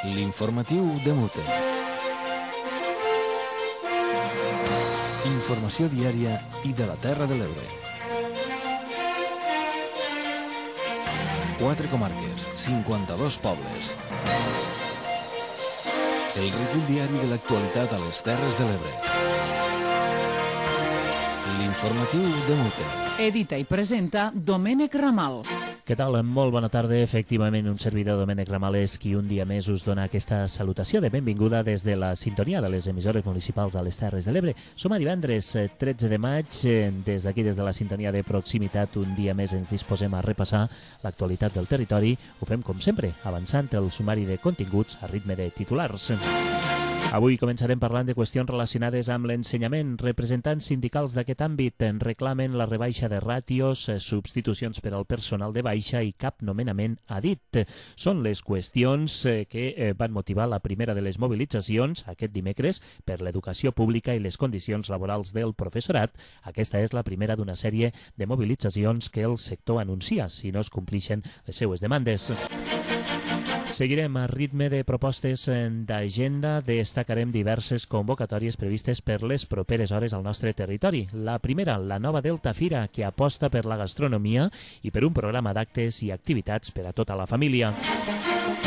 L'informatiu de Mute. Informació diària i de la Terra de l'Ebre. 4 comarques, 52 pobles. El recull diari de l'actualitat a les Terres de l'Ebre. L'informatiu de Mute. Edita i presenta Domènec Ramal. Què tal? Molt bona tarda. Efectivament, un servidor, Domènec Ramal, és qui un dia més us dona aquesta salutació de benvinguda des de la sintonia de les emissores municipals a les Terres de l'Ebre. Som a divendres 13 de maig. Des d'aquí, des de la sintonia de proximitat, un dia més ens disposem a repassar l'actualitat del territori. Ho fem, com sempre, avançant el sumari de continguts a ritme de titulars. Avui començarem parlant de qüestions relacionades amb l'ensenyament. Representants sindicals d'aquest àmbit en reclamen la rebaixa de ràtios, substitucions per al personal de baixa i cap nomenament a dit. Són les qüestions que van motivar la primera de les mobilitzacions aquest dimecres per l'educació pública i les condicions laborals del professorat. Aquesta és la primera d'una sèrie de mobilitzacions que el sector anuncia si no es complixen les seues demandes. Seguirem a ritme de propostes d'agenda. Destacarem diverses convocatòries previstes per les properes hores al nostre territori. La primera, la nova Delta Fira, que aposta per la gastronomia i per un programa d'actes i activitats per a tota la família.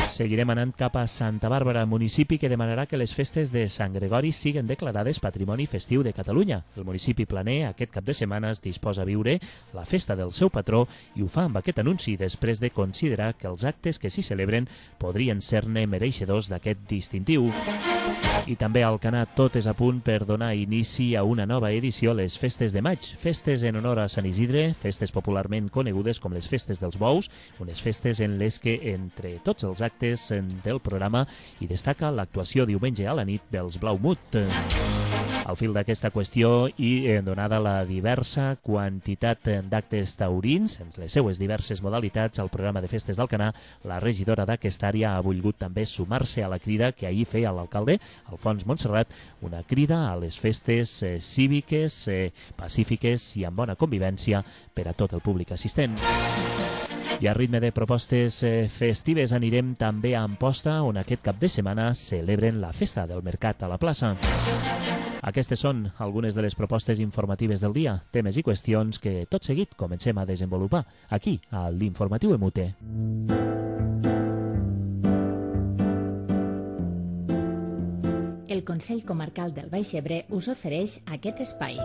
Seguirem anant cap a Santa Bàrbara, municipi que demanarà que les festes de Sant Gregori siguen declarades Patrimoni Festiu de Catalunya. El municipi planer aquest cap de setmana es disposa a viure la festa del seu patró i ho fa amb aquest anunci després de considerar que els actes que s'hi celebren podrien ser-ne mereixedors d'aquest distintiu. I també a Alcanar tot és a punt per donar inici a una nova edició, les Festes de Maig. Festes en honor a Sant Isidre, festes popularment conegudes com les Festes dels Bous, unes festes en les que, entre tots els actes del programa, hi destaca l'actuació diumenge a la nit dels Blaumut. Al fil d'aquesta qüestió i donada la diversa quantitat d'actes taurins, en les seues diverses modalitats, al programa de festes d'Alcanar, la regidora d'aquesta àrea ha volgut també sumar-se a la crida que ahir feia l'alcalde, Alfons Montserrat, una crida a les festes cíviques, pacífiques i amb bona convivència per a tot el públic assistent. I a ritme de propostes festives anirem també a Amposta, on aquest cap de setmana celebren la festa del mercat a la plaça. Aquestes són algunes de les propostes informatives del dia, temes i qüestions que tot seguit comencem a desenvolupar aquí, a l'Informatiu Emute. El Consell Comarcal del Baix Ebre us ofereix aquest espai.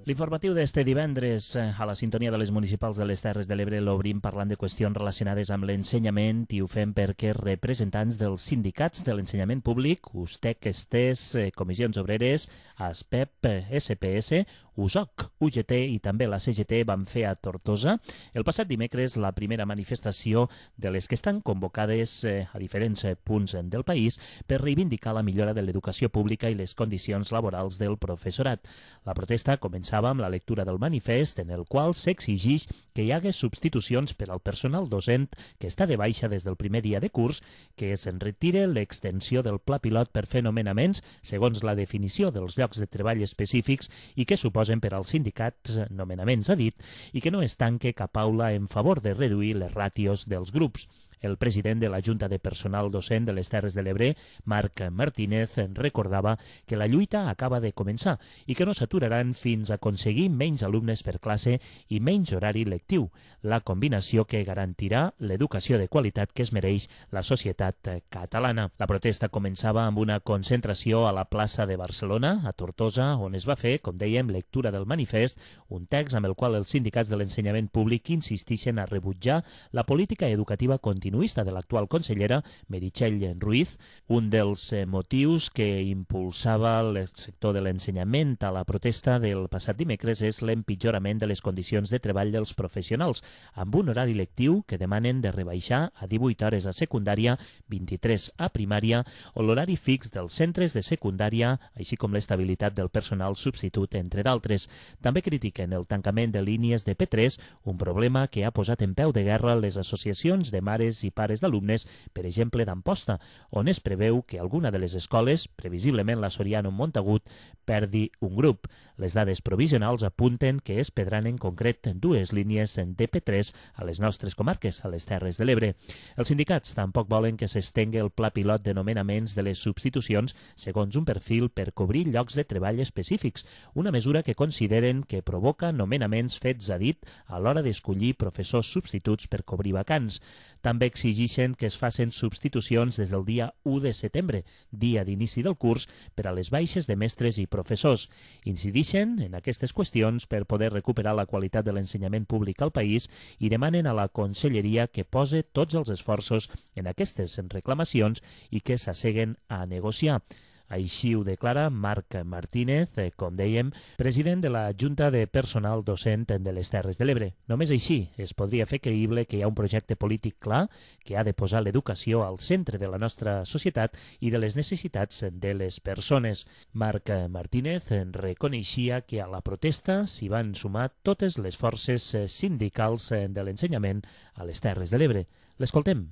L'informatiu d'este divendres a la sintonia de les municipals de les Terres de l'Ebre l'obrim parlant de qüestions relacionades amb l'ensenyament i ho fem perquè representants dels sindicats de l'ensenyament públic, USTEC, ESTES, Comissions Obreres, ASPEP, SPS, USOC, UGT i també la CGT van fer a Tortosa el passat dimecres la primera manifestació de les que estan convocades a diferents punts del país per reivindicar la millora de l'educació pública i les condicions laborals del professorat. La protesta començava amb la lectura del manifest en el qual s'exigix que hi hagués substitucions per al personal docent que està de baixa des del primer dia de curs, que se'n retire l'extensió del pla pilot per fer nomenaments segons la definició dels llocs de treball específics i que suposen per als sindicats nomenaments a dit i que no es tanque cap aula en favor de reduir les ràtios dels grups. El president de la Junta de Personal Docent de les Terres de l'Ebre, Marc Martínez, recordava que la lluita acaba de començar i que no s'aturaran fins a aconseguir menys alumnes per classe i menys horari lectiu, la combinació que garantirà l'educació de qualitat que es mereix la societat catalana. La protesta començava amb una concentració a la plaça de Barcelona, a Tortosa, on es va fer, com dèiem, lectura del manifest, un text amb el qual els sindicats de l'ensenyament públic insistixen a rebutjar la política educativa continuista de l'actual consellera Meritxell Ruiz. Un dels motius que impulsava el sector de l'ensenyament a la protesta del passat dimecres és l'empitjorament de les condicions de treball dels professionals, amb un horari lectiu que demanen de rebaixar a 18 hores a secundària, 23 a primària, o l'horari fix dels centres de secundària, així com l'estabilitat del personal substitut, entre d'altres. També critiquen el tancament de línies de P3, un problema que ha posat en peu de guerra les associacions de mares i pares d'alumnes, per exemple d'Amposta, on es preveu que alguna de les escoles, previsiblement la Soriano Montagut, perdi un grup. Les dades provisionals apunten que es perdran en concret 2 línies de P3 a les nostres comarques, a les Terres de l'Ebre. Els sindicats tampoc volen que s'estengui el pla pilot de nomenaments de les substitucions segons un perfil per cobrir llocs de treball específics, una mesura que consideren que provoca nomenaments fets a dit a l'hora d'escollir professors substituts per cobrir vacants. També exigeixen que es facin substitucions des del dia 1 de setembre, dia d'inici del curs, per a les baixes de mestres i professors. Incideixen en aquestes qüestions per poder recuperar la qualitat de l'ensenyament públic al país i demanen a la Conselleria que pose tots els esforços en aquestes reclamacions i que s'asseguen a negociar. Així ho declara Marc Martínez, com dèiem, president de la Junta de Personal Docent de les Terres de l'Ebre. Només així es podria fer creïble que hi ha un projecte polític clar que ha de posar l'educació al centre de la nostra societat i de les necessitats de les persones. Marc Martínez reconeixia que a la protesta s'hi van sumar totes les forces sindicals de l'ensenyament a les Terres de l'Ebre. L'escoltem.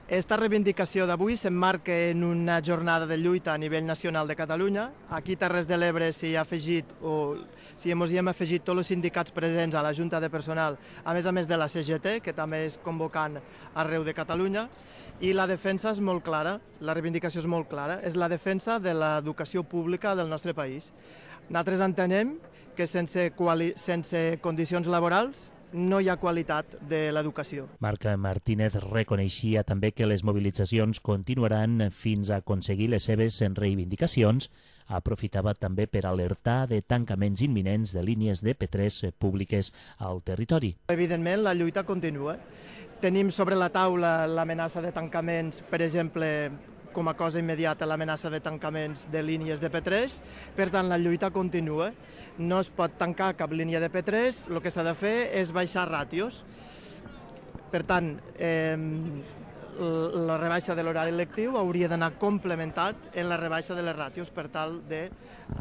Esta reivindicació d'avui s'emmarca en una jornada de lluita a nivell nacional de Catalunya. Aquí a Terres de l'Ebre s'hi ha afegit, ens hi hem afegit tots els sindicats presents a la Junta de Personal, a més de la CGT, que també és convocant arreu de Catalunya, i la defensa és molt clara, la reivindicació és molt clara, és la defensa de l'educació pública del nostre país. Nosaltres entenem que sense condicions laborals no hi ha qualitat de l'educació. Marc Martínez reconeixia també que les mobilitzacions continuaran fins a aconseguir les seves reivindicacions. Aprofitava també per alertar de tancaments imminents de línies de P3 públiques al territori. Evidentment, la lluita continua. Tenim sobre la taula l'amenaça de tancaments, per exemple, com a cosa immediata l'amenaça de tancaments de línies de P3, per tant la lluita continua. No es pot tancar cap línia de P3, el que s'ha de fer és baixar ràtios. Per tant, la rebaixa de l'horari lectiu hauria d'anar complementat en la rebaixa de les ràtios per tal de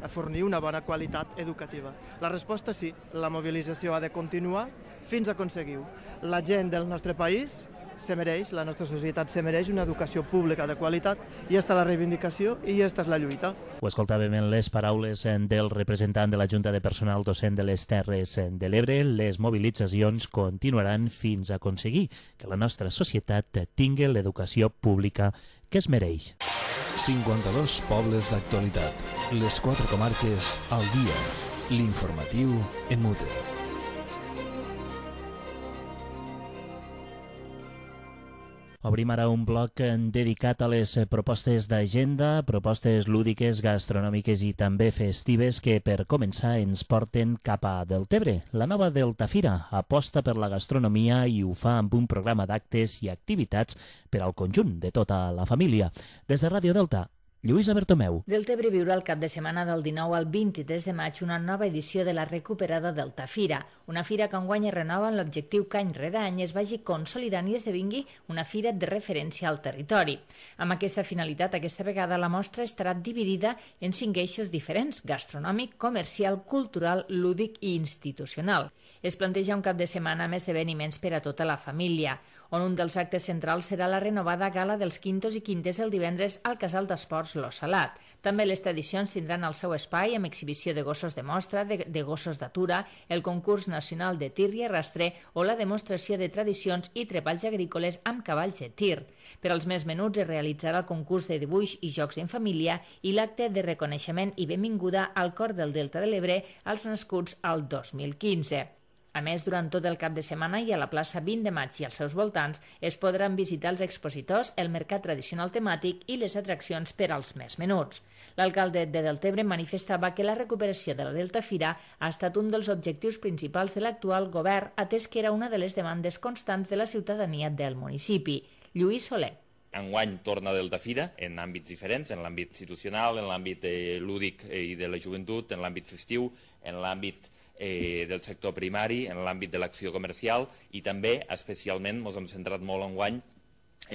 fornir una bona qualitat educativa. La resposta sí, la mobilització ha de continuar fins a aconseguir-ho. La gent del nostre país se mereix, la nostra societat se mereix una educació pública de qualitat i aquesta és la reivindicació i aquesta és la lluita. Ho escoltàvem en les paraules del representant de la Junta de Personal Docent de les Terres de l'Ebre. Les mobilitzacions continuaran fins a aconseguir que la nostra societat tingui l'educació pública que es mereix. 52 pobles d'actualitat. Les 4 comarques al dia. L'informatiu en Mute. Obrim ara un bloc dedicat a les propostes d'agenda, propostes lúdiques, gastronòmiques i també festives que, per començar, ens porten cap a Deltebre. La nova Deltafira aposta per la gastronomia i ho fa amb un programa d'actes i activitats per al conjunt de tota la família. Des de Ràdio Delta, Lluïsa Bertomeu. Deltebre viurà el cap de setmana del 19 al 23 de maig una nova edició de la recuperada Deltafira, una fira que enguany es renova amb l'objectiu que any rere any es vagi consolidant i esdevingui una fira de referència al territori. Amb aquesta finalitat, aquesta vegada la mostra estarà dividida en 5 eixos diferents: gastronòmic, comercial, cultural, lúdic i institucional. Es planteja un cap de setmana amb esdeveniments per a tota la família, on un dels actes centrals serà la renovada gala dels quintos i quintes el divendres al Casal d'Esports Lo Salat. També les tradicions tindran el seu espai amb exhibició de gossos de mostra, de gossos d'atura, el concurs nacional de tir i arrastre o la demostració de tradicions i treballs agrícoles amb cavalls de tir. Per als més menuts es realitzarà el concurs de dibuix i jocs en família i l'acte de reconeixement i benvinguda al Cor del Delta de l'Ebre als nascuts al 2015. A més, durant tot el cap de setmana i a la plaça 20 de maig i als seus voltants es podran visitar els expositors, el mercat tradicional temàtic i les atraccions per als més menuts. L'alcalde de Deltebre manifestava que la recuperació de la Deltafira ha estat un dels objectius principals de l'actual govern, atès que era una de les demandes constants de la ciutadania del municipi. Lluís Soler. Enguany torna Deltafira en àmbits diferents, en l'àmbit institucional, en l'àmbit lúdic i de la joventut, en l'àmbit festiu, en l'àmbit del sector primari, en l'àmbit de l'acció comercial i també, especialment, ens hem centrat molt enguany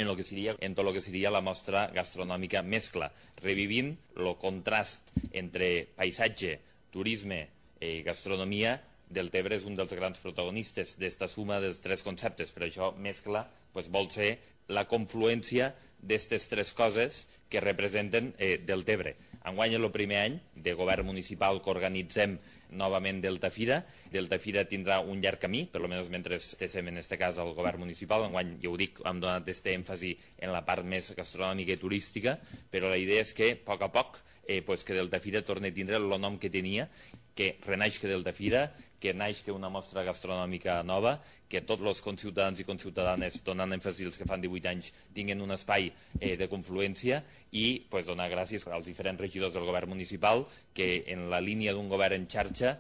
en tot el que seria la mostra gastronòmica mescla, revivint el contrast entre paisatge, turisme i gastronomia. Deltebre és un dels grans protagonistes d'esta suma dels 3 conceptes, per això mescla vol ser la confluència d'aquestes 3 coses que representen Deltebre. Enguany és el primer any de govern municipal que organitzem novament Deltafira. Deltafira tindrà un llarg camí, per almenys mentre estéssim en aquest cas al govern municipal. Enguany, ja ho dic, hem donat aquest èmfasi en la part més gastronòmica i turística, però la idea és que, a poc, que Deltafira torni a tindre el nom que tenia, que renaix que Deltafira, que naix que una mostra gastronòmica nova, que tots els conciutadans i conciutadanes, donant èmfasi als que fan 18 anys, tinguin un espai de confluència i donar gràcies als diferents regidors del govern municipal que en la línia d'un govern en xarxa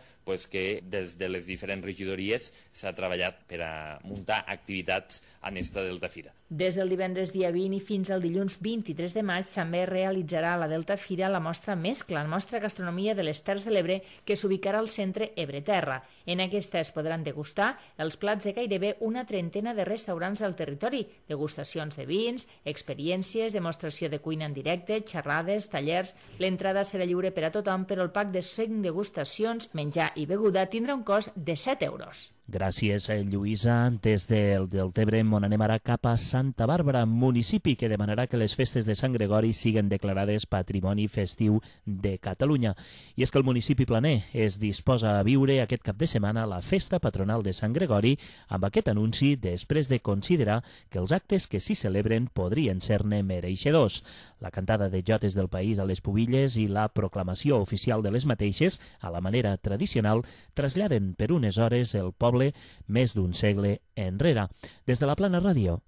que des de les diferents regidories s'ha treballat per a muntar activitats en esta Deltafira. Des del divendres dia 20 i fins al dilluns 23 de maig també realitzarà a la Deltafira la mostra Mescla, la mostra gastronomia de les Terres de l'Ebre, que s'ubicarà al centre Ebre-Terra. En aquesta es podran degustar els plats de gairebé una trentena de restaurants al territori, degustacions de vins, experiències, demostració de cuina en directe, xerrades, tallers. L'entrada serà lliure per a tothom, però el pack de 5 degustacions, menjar i beguda tindrà un cost de 7 euros. Gràcies, Lluïsa. Des del Deltebre anem ara cap a Santa Bàrbara, municipi que demanarà que les festes de Sant Gregori siguen declarades Patrimoni Festiu de Catalunya. I és que el municipi planer es disposa a viure aquest cap de setmana la festa patronal de Sant Gregori amb aquest anunci després de considerar que els actes que s'hi celebren podrien ser-ne mereixedors. La cantada de jotes del país a les pubilles i la proclamació oficial de les mateixes, a la manera tradicional, traslladen per unes hores el poble més d'un segle enrere. Des de la Plana Ràdio,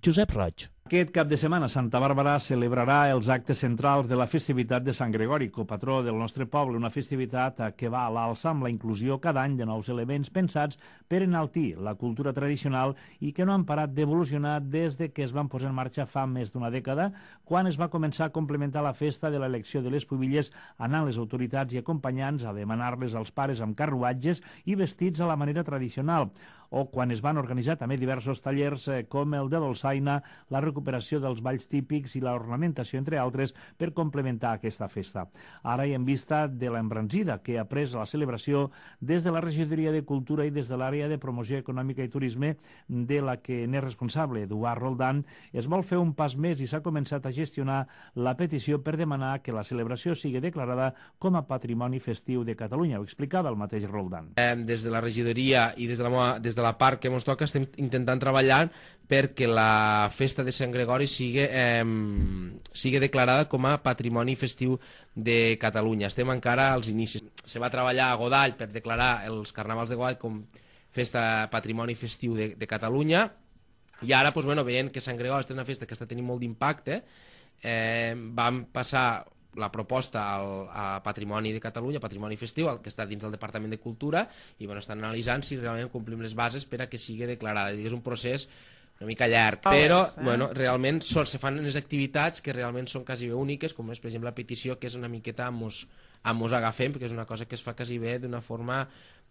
Josep Roig. Aquest cap de setmana Santa Bàrbara celebrarà els actes centrals de la festivitat de Sant Gregori, copatró del nostre poble, una festivitat que va a l'alça amb la inclusió cada any de nous elements pensats per enaltir la cultura tradicional i que no han parat d'evolucionar des de que es van posar en marxa fa més d'una dècada, quan es va començar a complementar la festa de l'elecció de les pubilles anant les autoritats i acompanyants a demanar-les als pares amb carruatges i vestits a la manera tradicional, o quan es van organitzar també diversos tallers com el de dolçaina, la recuperació dels balls típics i l'ornamentació, entre altres, per complementar aquesta festa. Ara i en vista de l'embranzida que ha pres la celebració des de la Regidoria de Cultura i des de l'àrea de promoció econòmica i turisme, de la que n'és responsable Eduard Roldán, es vol fer un pas més i s'ha començat a gestionar la petició per demanar que la celebració sigui declarada com a Patrimoni Festiu de Catalunya. Ho explicava el mateix Roldán. Des de la regidoria i des de la part que ens toca estem intentant treballar perquè la festa de Sant Gregori sigui declarada com a Patrimoni Festiu de Catalunya. Estem encara als inicis. Se va treballar a Godall per declarar els carnavals de Godall com festa Patrimoni Festiu de Catalunya i ara, veient que Sant Gregori és una festa que està tenint molt d'impacte, vam passar la proposta a Patrimoni de Catalunya, Patrimoni Festiu, que està dins del Departament de Cultura, i estan analitzant si realment complim les bases per a que sigui declarada. És un procés una mica llarg, però realment se fan unes activitats que realment són quasi bé úniques, com és, per exemple, la petició, que és una miqueta mos agafem, perquè és una cosa que es fa quasi bé d'una forma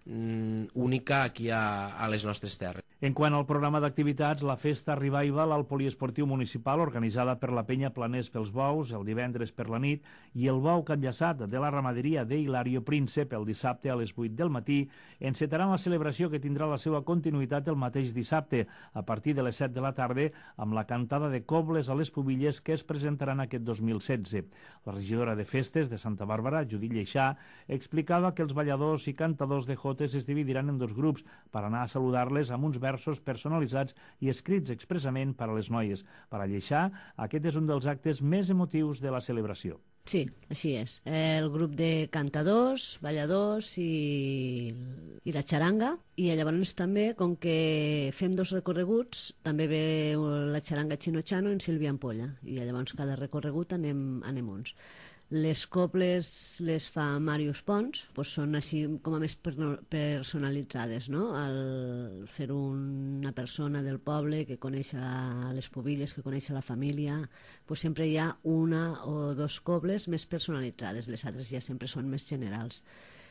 única aquí a les nostres terres. En quant al programa d'activitats, la festa Revival al Poliesportiu Municipal, organitzada per la penya Planers pels Bous el divendres per la nit, i el bou capllaçat de la ramaderia d'Hilario Príncep el dissabte a les 8 del matí, encetaran la celebració que tindrà la seva continuïtat el mateix dissabte, a partir de les 7 de la tarda, amb la cantada de cobles a les pubilles que es presentaran aquest 2016. La regidora de festes de Santa Bàrbara, Judit Lleixà, explicava que els balladors i cantadors de jotes es dividiran en dos grups per anar a saludar-les amb uns versos personalitzats i escrits expressament per a les noies. Per a Lleixà, aquest és un dels actes més emotius de la celebració. Sí, així és. El grup de cantadors, balladors i la xaranga. I llavors també, com que fem dos recorreguts, també ve la xaranga Chino Chano en Sílvia Ampolla. I llavors cada recorregut anem uns. Les cobles les fa Màrius Pons, són així com a més personalitzades, no? Al fer una persona del poble que coneix les pubilles, que coneix la família, sempre hi ha una o dos cobles més personalitzades, les altres ja sempre són més generals.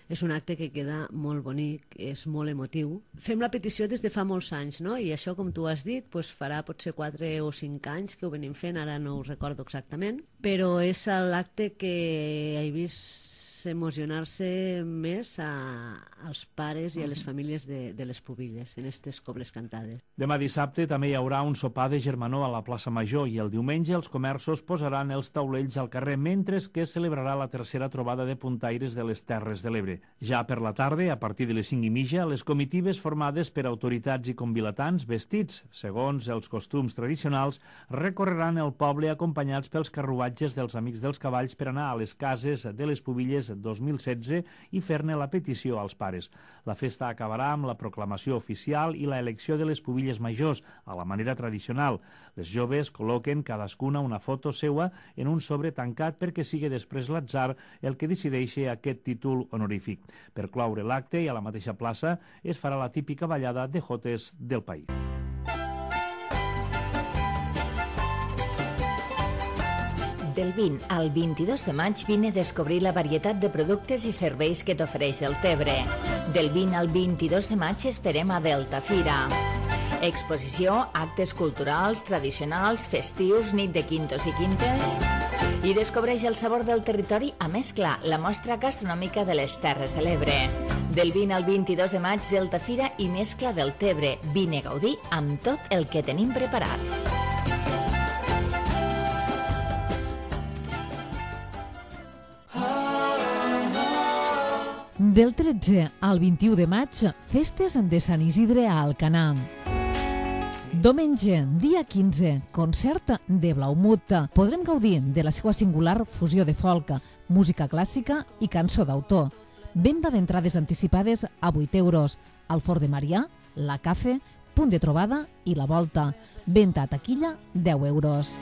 És un acte que queda molt bonic, és molt emotiu. Fem la petició des de fa molts anys, no? I això, com tu has dit, farà potser 4 o 5 anys que ho venim fent, ara no ho recordo exactament, però és l'acte que he vist emocionar-se més als pares i a les famílies de les pubilles en aquestes cobles cantades. Demà dissabte també hi haurà un sopar de germanor a la plaça Major i el diumenge els comerços posaran els taulells al carrer mentre que es celebrarà la tercera trobada de puntaires de les Terres de l'Ebre. Ja per la tarda, a partir de les 5:30, les comitives formades per autoritats i convilatans vestits, segons els costums tradicionals, recorreran el poble acompanyats pels carruatges dels Amics dels Cavalls per anar a les cases de les Pubilles 2016 i fer-ne la petició als pares. La festa acabarà amb la proclamació oficial i la elecció de les Pubilles majors, a la manera tradicional. Les joves col·loquen cadascuna una foto seua en un sobre tancat perquè sigui després l'atzar el que decideixi aquest títol honorífic. Per cloure l'acte i a la mateixa plaça es farà la típica ballada de jotes del país. Del 20 al 22 de maig vine a descobrir la varietat de productes i serveis que t'ofereix el Tebre. Del 20 al 22 de maig esperem a Delta Fira. Exposició, actes culturals, tradicionals, festius, nit de quintos i quintes. I descobreix el sabor del territori a mesclar la mostra gastronòmica de les Terres de l'Ebre. Del 20 al 22 de maig, Delta Fira i mescla del Tebre. Vine a gaudir amb tot el que tenim preparat. Del 13 al 21 de maig, festes de Sant Isidre a Alcanar. Diumenge, dia 15, concert de Blaumut. Podrem gaudir de la seva singular fusió de folk, música clàssica i cançó d'autor. Venda d'entrades anticipades a 8 euros. Al Fort de Marià, la Cafe, Punt de Trobada i la Volta. Venda a taquilla, 10 euros.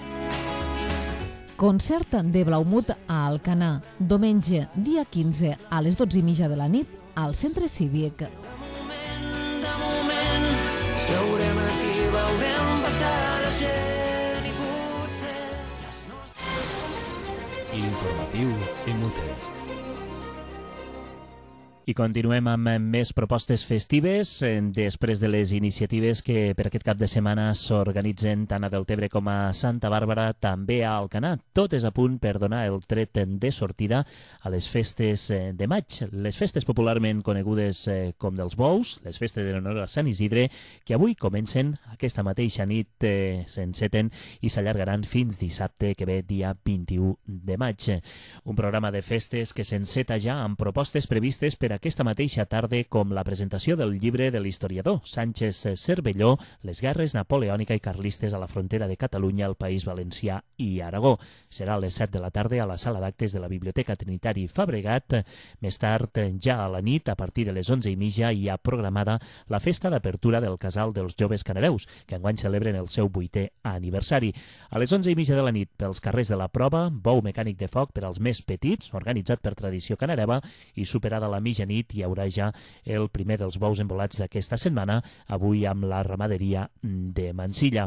Concert de Blaumut a Alcanar. Diumenge, dia 15, a les 12:30 de la nit, al Centre Cívic. De moment, seurem aquí, veurem passar la gent i potser les nostres... L'informatiu en mute. I continuem amb més propostes festives després de les iniciatives que per aquest cap de setmana s'organitzen tant a Deltebre com a Santa Bàrbara, també a Alcanar. Tot és a punt per donar el tret de sortida a les festes de maig. Les festes popularment conegudes com dels bous, les festes en honor a Sant Isidre, que avui comencen aquesta mateixa nit, s'enceten i s'allargaran fins dissabte que ve, dia 21 de maig. Un programa de festes que s'enceta ja amb propostes previstes per aquesta mateixa tarda, com la presentació del llibre de l'historiador Sánchez Cervelló, Les guerres napoleònica i carlistes a la frontera de Catalunya, el País Valencià i Aragó. Serà a les 7 de la tarda a la sala d'actes de la Biblioteca Trinitari Fabregat. Més tard, ja a la nit, a partir de les 11:30, hi ha programada la festa d'apertura del Casal dels Joves Canareus, que enguany celebren el seu 8è aniversari. A les 11:30 de la nit, pels carrers de la Prova, bou mecànic de foc per als més petits, organitzat per Tradició Canareva, i superada la mitjanit hi haurà ja el primer dels bous embolats d'aquesta setmana, avui amb la ramaderia de Mansilla.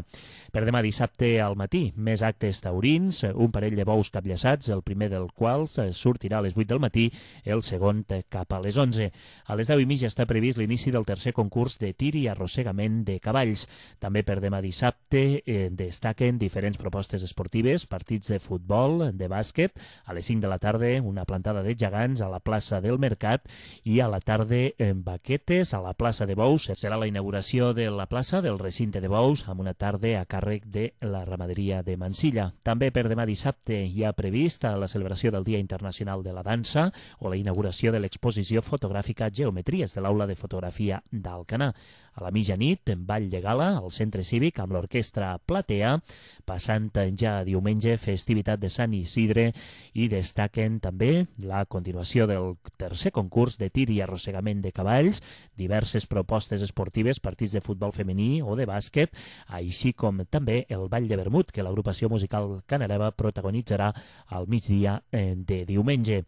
Per demà dissabte al matí, més actes taurins, un parell de bous capllaçats, el primer del qual sortirà a les 8 del matí, el segon cap a les 11. A les 10:30 està previst l'inici del tercer concurs de tir i arrossegament de cavalls. També per demà dissabte destaquen diferents propostes esportives, partits de futbol, de bàsquet, a les 5 de la tarda una plantada de gegants a la plaça del Mercat i a la tarda baquetes a la plaça de Bous. Serà la inauguració de la plaça del recinte de Bous amb una tarda a càrrec de la ramaderia de Mansilla. També per demà dissabte hi ha prevista la celebració del Dia Internacional de la Dansa o la inauguració de l'exposició fotogràfica Geometries de l'Aula de Fotografia d'Alcanar. A la mitjanit, en ball de gala al Centre Cívic amb l'orquestra Platea, passant ja diumenge festivitat de Sant Isidre, i destaquen també la continuació del tercer concurs de tir i arrossegament de cavalls, diverses propostes esportives, partits de futbol femení o de bàsquet, així com també el ball de vermut que l'agrupació musical Canareva protagonitzarà al migdia de diumenge.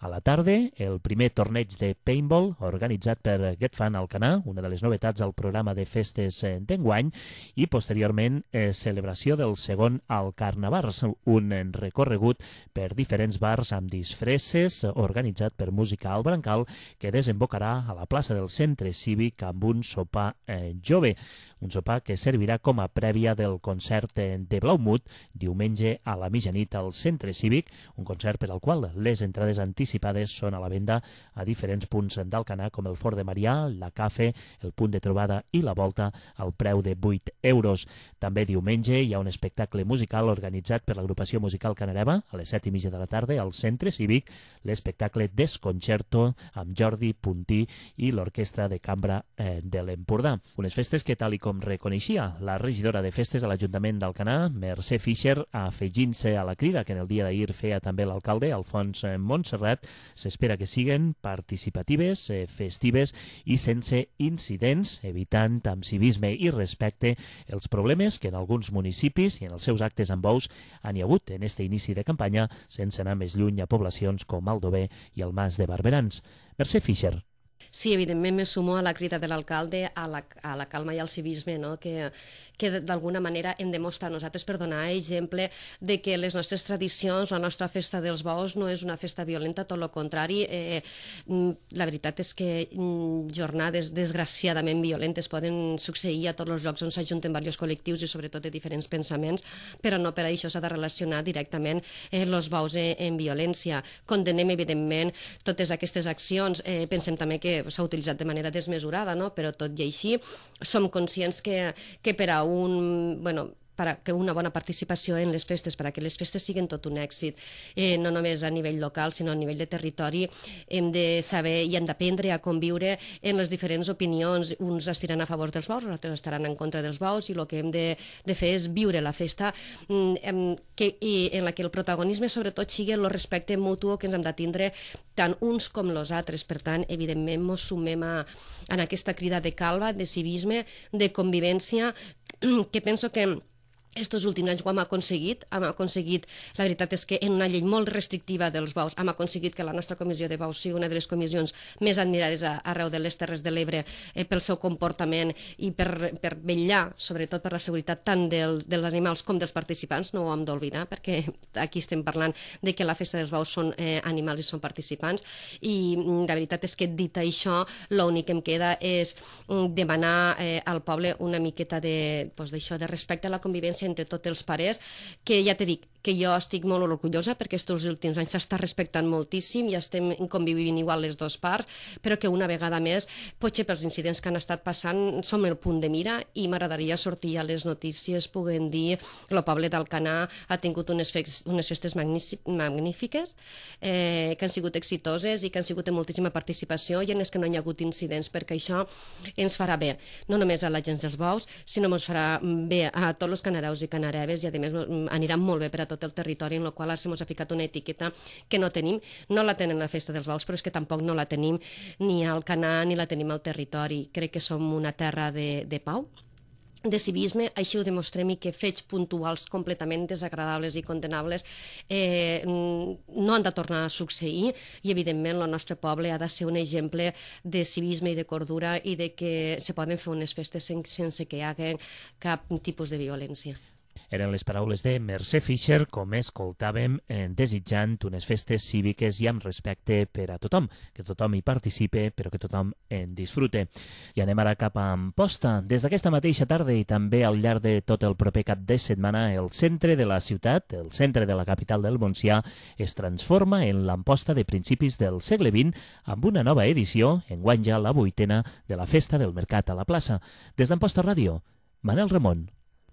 A la tarda, el primer torneig de paintball organitzat per Get Fun Alcanar, una de les novetats al programa de festes d'enguany, i posteriorment celebració del segon al Carnavars, un recorregut per diferents bars amb disfresses organitzat per Música al Brancal, que desembocarà a la plaça del Centre Cívic amb un sopar jove, un sopar que servirà com a prèvia del concert de Blaumut diumenge a la mitjanit al Centre Cívic, un concert per al qual les entrades anticipades anticipades són a la venda a diferents punts d'Alcanar, com el Fort de Marià, la Cafè, el Punt de Trobada i la Volta, al preu de 8 euros. També diumenge hi ha un espectacle musical organitzat per l'agrupació musical Canareva a les 7:30 de la tarda al Centre Cívic, l'espectacle Desconcerto amb Jordi Puntí i l'Orquestra de Cambra de l'Empordà. Unes festes que, tal i com reconeixia la regidora de festes a l'Ajuntament d'Alcanar, Mercè Fischer, afegint-se a la crida que en el dia d'ahir feia també l'alcalde, Alfons Montserrat, s'espera que siguen participatives, festives i sense incidents, evitant amb civisme i respecte els problemes que en alguns municipis i en els seus actes amb bous han hi hagut en este inici de campanya, sense anar més lluny a poblacions com Aldover i el Mas de Barberans. Mercè Fischer. Sí, evidentment me sumo a la crida de l'alcalde, a la calma i al civisme, no? que d'alguna manera hem de mostrar nosaltres per donar exemple de que les nostres tradicions, la nostra festa dels bous no és una festa violenta, tot el contrari. La veritat és que jornades desgraciadament violentes poden succeir a tots els llocs on s'ajunten diversos col·lectius i sobretot de diferents pensaments, però no per això s'ha de relacionar directament els bous en violència. Condenem, evidentment, totes aquestes accions. Pensem també que s'ha utilitzat de manera desmesurada, no? Però tot i així som conscients que per a que una bona participació en les festes, perquè les festes siguin tot un èxit, no només a nivell local, sinó a nivell de territori, hem de saber i hem d'aprendre a conviure en les diferents opinions. Uns estiran a favor dels bous, els altres estaran en contra dels bous, i el que hem de fer és viure la festa en la que el protagonisme sobretot sigui el respecte mutu que ens hem de tindre tant uns com els altres. Per tant, evidentment, ens sumem en aquesta crida de calma, de civisme, de convivència, que penso que estos últims anys ho hem aconseguit, la veritat és que en una llei molt restrictiva dels bous hem aconseguit que la nostra comissió de bous sigui una de les comissions més admirades arreu de les Terres de l'Ebre pel seu comportament i per vetllar, sobretot per la seguretat tant dels animals com dels participants. No ho hem d'oblidar, perquè aquí estem parlant de que la festa dels bous són animals i són participants, i la veritat és que dit això, l'únic que em queda és demanar al poble una miqueta de respecte a la convivència entre tots els pares, que ja t'he dit que jo estic molt orgullosa perquè aquests últims anys s'està respectant moltíssim i estem convivint igual les dues parts, però que una vegada més, potser pels incidents que han estat passant, som el punt de mira, i m'agradaria sortir a les notícies puguent dir que el poble d'Alcanar ha tingut unes festes magnífiques, que han sigut exitoses i que han sigut de moltíssima participació i en les que no hi ha hagut incidents, perquè això ens farà bé, no només a la gent dels bous, sinó ens farà bé a tots els canareus i canareves, i a més anirà molt bé per a tot el territori, en el qual ara s'ha ficat una etiqueta que no tenim. No la tenen a la festa dels bous, però és que tampoc no la tenim ni al Alcanar ni la tenim al territori. Crec que som una terra de pau, de civisme. Així ho demostrem, i que fets puntuals completament desagradables i condenables no han de tornar a succeir, i evidentment el nostre poble ha de ser un exemple de civisme i de cordura, i de que se poden fer unes festes sense que hi hagi cap tipus de violència. Eren les paraules de Mercè Fischer, com escoltàvem, desitjant unes festes cíviques i amb respecte per a tothom, que tothom hi participe, però que tothom en disfrute. I anem ara cap a Amposta. Des d'aquesta mateixa tarda i també al llarg de tot el proper cap de setmana, el centre de la ciutat, el centre de la capital del Montsià, es transforma en l'Amposta de principis del segle XX amb una nova edició, enguany ja la 8ª, de la Festa del Mercat a la plaça. Des d'Amposta Ràdio, Manel Ramon.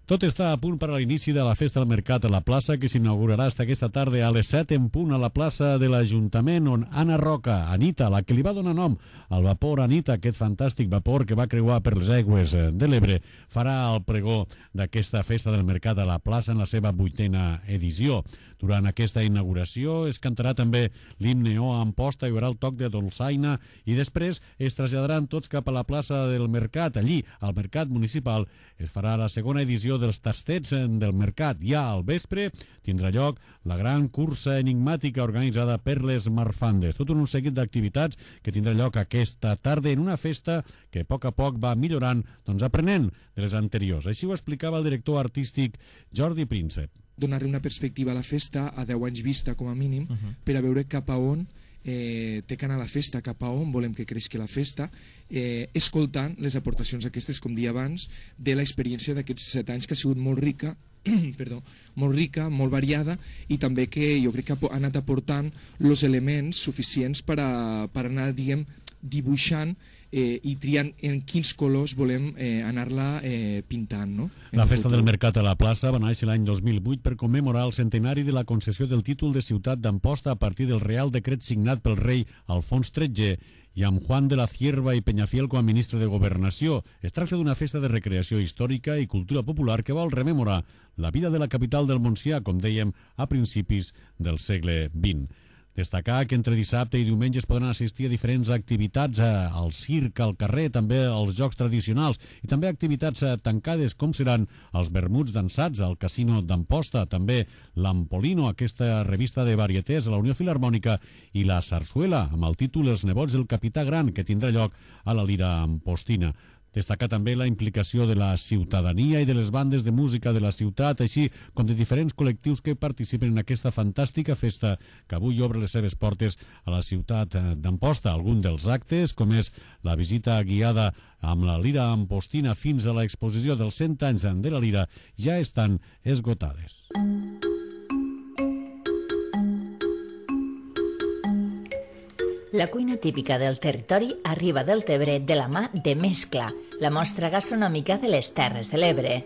Tot està a punt per a l'inici de la Festa del Mercat a la plaça, que s'inaugurarà aquesta tarda a les 7 en punt a la plaça de l'Ajuntament, on Anna Roca, Anita, la que li va donar nom al vapor Anita, aquest fantàstic vapor que va creuar per les aigües de l'Ebre, farà el pregó d'aquesta Festa del Mercat a la plaça en la seva 8ª edició. Durant aquesta inauguració es cantarà també l'himne O Amposta, hi haurà el toc de dolçaina i després es traslladaran tots cap a la plaça del Mercat. Allí, al Mercat Municipal, es farà la segona edició dels tastets del Mercat. Ja al vespre tindrà lloc la gran cursa enigmàtica organitzada per les Marfandes. Tot un seguit d'activitats que tindrà lloc aquesta tarda en una festa que a poc va millorant, aprenent de les anteriors. Així ho explicava el director artístic Jordi Príncep. Donar-li una perspectiva a la festa a 10 anys vista com a mínim, per a veure cap a on té que anar la festa, cap a on volem que creixi la festa, escoltant les aportacions aquestes, com dia abans, de l'experiència d'aquests 7 anys, que ha sigut molt rica molt rica, molt variada, i també que jo crec que ha anat aportant els elements suficients per anar, diguem, dibuixant i triant en quins colors volem anar-la pintant. No? La Festa del Mercat a la Plaça va néixer l'any 2008 per commemorar el centenari de la concessió del títol de ciutat d'Amposta a partir del Real Decret signat pel rei Alfons XIII i amb Juan de la Cierva i Peñafiel com a ministre de Governació. Es tracta d'una festa de recreació històrica i cultura popular que vol rememorar la vida de la capital del Montsià, com dèiem, a principis del segle XX. Destacar que entre dissabte i diumenge es podran assistir a diferents activitats, al circ, al carrer, també als jocs tradicionals i també activitats tancades com seran els vermuts dansats al Casino d'Amposta, també l'Ampolino, aquesta revista de varietés a la Unió Filharmònica, i la Sarsuela, amb el títol Els nebots del Capità Gran, que tindrà lloc a la Lira Ampostina. Destacar també la implicació de la ciutadania i de les bandes de música de la ciutat, així com de diferents col·lectius que participen en aquesta fantàstica festa que avui obre les seves portes a la ciutat d'Amposta. Algun dels actes, com és la visita guiada amb la Lira Ampostina fins a l'exposició dels 100 anys de la Lira, ja estan esgotades. La cuina típica del territori arriba del Tebre de la mà de Mescla, la mostra gastronòmica de les Terres de l'Ebre.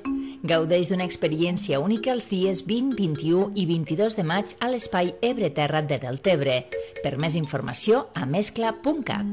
Gaudeix d'una experiència única els dies 20, 21 i 22 de maig a l'espai Ebre Terra de Deltebre. Per més informació, a mescla.cat.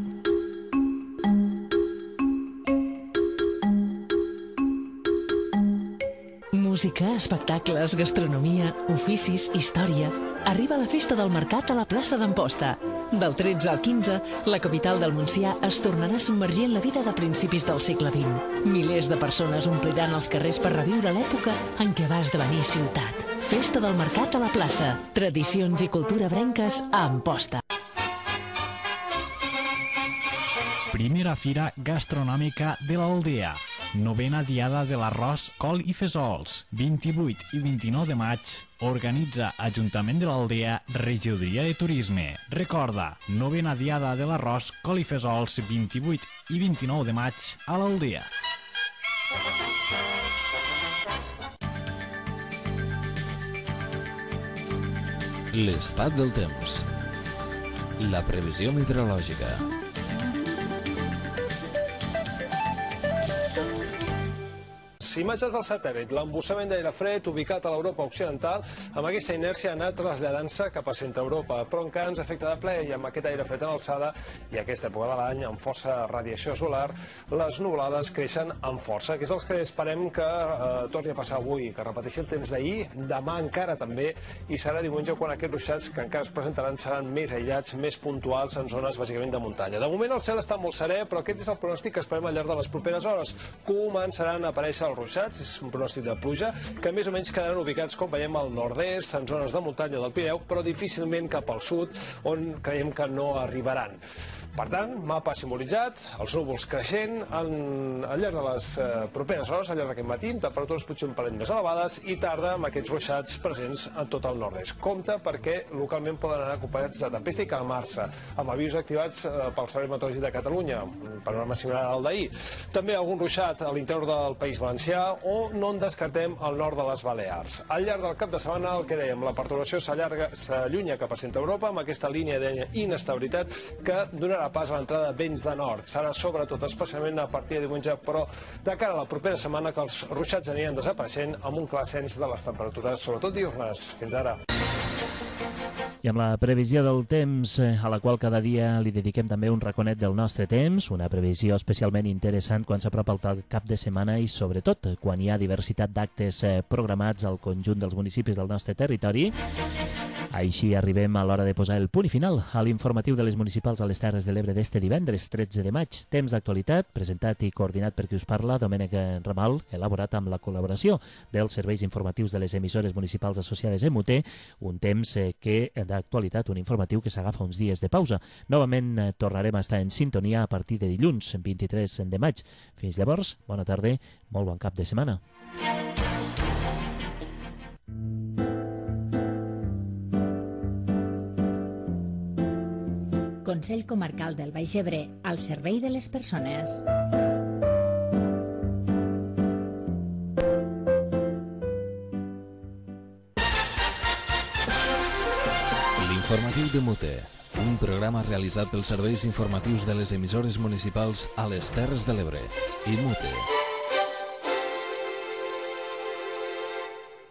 Música, espectacles, gastronomia, oficis, història. Arriba la Festa del Mercat a la plaça d'Amposta. Del 13 al 15, la capital del Montsià es tornarà a submergir en la vida de principis del segle XX. Milers de persones ompliran els carrers per reviure l'època en què va esdevenir ciutat. Festa del Mercat a la plaça. Tradicions i cultura brenques a Amposta. Primera Fira Gastronòmica de l'Aldea. Novena Diada de l'Arròs, Col i Fesols. 28 i 29 de maig. Organitza Ajuntament de l'Aldea, Regidoria de Turisme. Recorda, Novena Diada de l'Arròs, Col i Fesols, 28 i 29 de maig a l'Aldea. L'estat del temps. La previsió meteorològica. Imatges del satèl·lit. L'embussament d'aire fred ubicat a l'Europa occidental amb aquesta inèrcia ha anat traslladant-se cap a centre-Europa, però encara ens afecta de ple i amb aquest aire fred en alçada i aquesta època de l'any amb força radiació solar, les nuvolades creixen amb força, que és el que esperem que torni a passar avui, que repeteixi el temps d'ahir, demà encara també, i serà diumenge quan aquests ruixats que encara es presentaran seran més aïllats, més puntuals en zones bàsicament de muntanya. De moment el cel està molt serè, però aquest és el pronòstic que esperem al llarg de les properes hores. Començaran a aparèixer els ruixats, és un pronòstic de pluja, que més o menys quedaran ubicats, com veiem, al nord-est, en zones de muntanya del Pirineu, però difícilment cap al sud, on creiem que no arribaran. Per tant, mapa simbolitzat, els núvols creixent al llarg de les properes hores, al llarg d'aquest matí, temperatures potser un parell més elevades i tarda amb aquests ruixats presents a tot el nord-est. Compte perquè localment poden anar acompanyats de tempesta i calmar-se, amb avisos activats pel Servei Meteorològic de Catalunya, un panorama similar al d'ahir. També algun ruixat a l'interior del País Valencià o no en descartem al nord de les Balears. Al llarg del cap de setmana, el que dèiem, la perturbació s'allunya cap a centre-Europa amb aquesta línia d'inestabilitat que donarà pas a l'entrada de vents de nord. Serà sobretot, especialment a partir de diumenge, però de cara a la propera setmana que els ruixats aniran desapareixent amb un clar ascens de les temperatures, sobretot diürnes. Fins ara. I amb la previsió del temps, a la qual cada dia li dediquem també un raconet del nostre temps, una previsió especialment interessant quan s'apropa el cap de setmana i sobretot quan hi ha diversitat d'actes programats al conjunt dels municipis del nostre territori. Així arribem a l'hora de posar el punt i final a l'informatiu de les municipals a les Terres de l'Ebre d'este divendres 13 de maig. Temps d'actualitat, presentat i coordinat per qui us parla, Domènec Ramal, elaborat amb la col·laboració dels serveis informatius de les emissores municipals associades a MUT, un temps que d'actualitat, un informatiu que s'agafa uns dies de pausa. Novament tornarem a estar en sintonia a partir de dilluns, 23 de maig. Fins llavors, bona tarda, molt bon cap de setmana. Consell Comarcal del Baix Ebre, al servei de les persones. L'informatiu de Mute, un programa realitzat pels serveis informatius de les emissores municipals a les Terres de l'Ebre i Mute.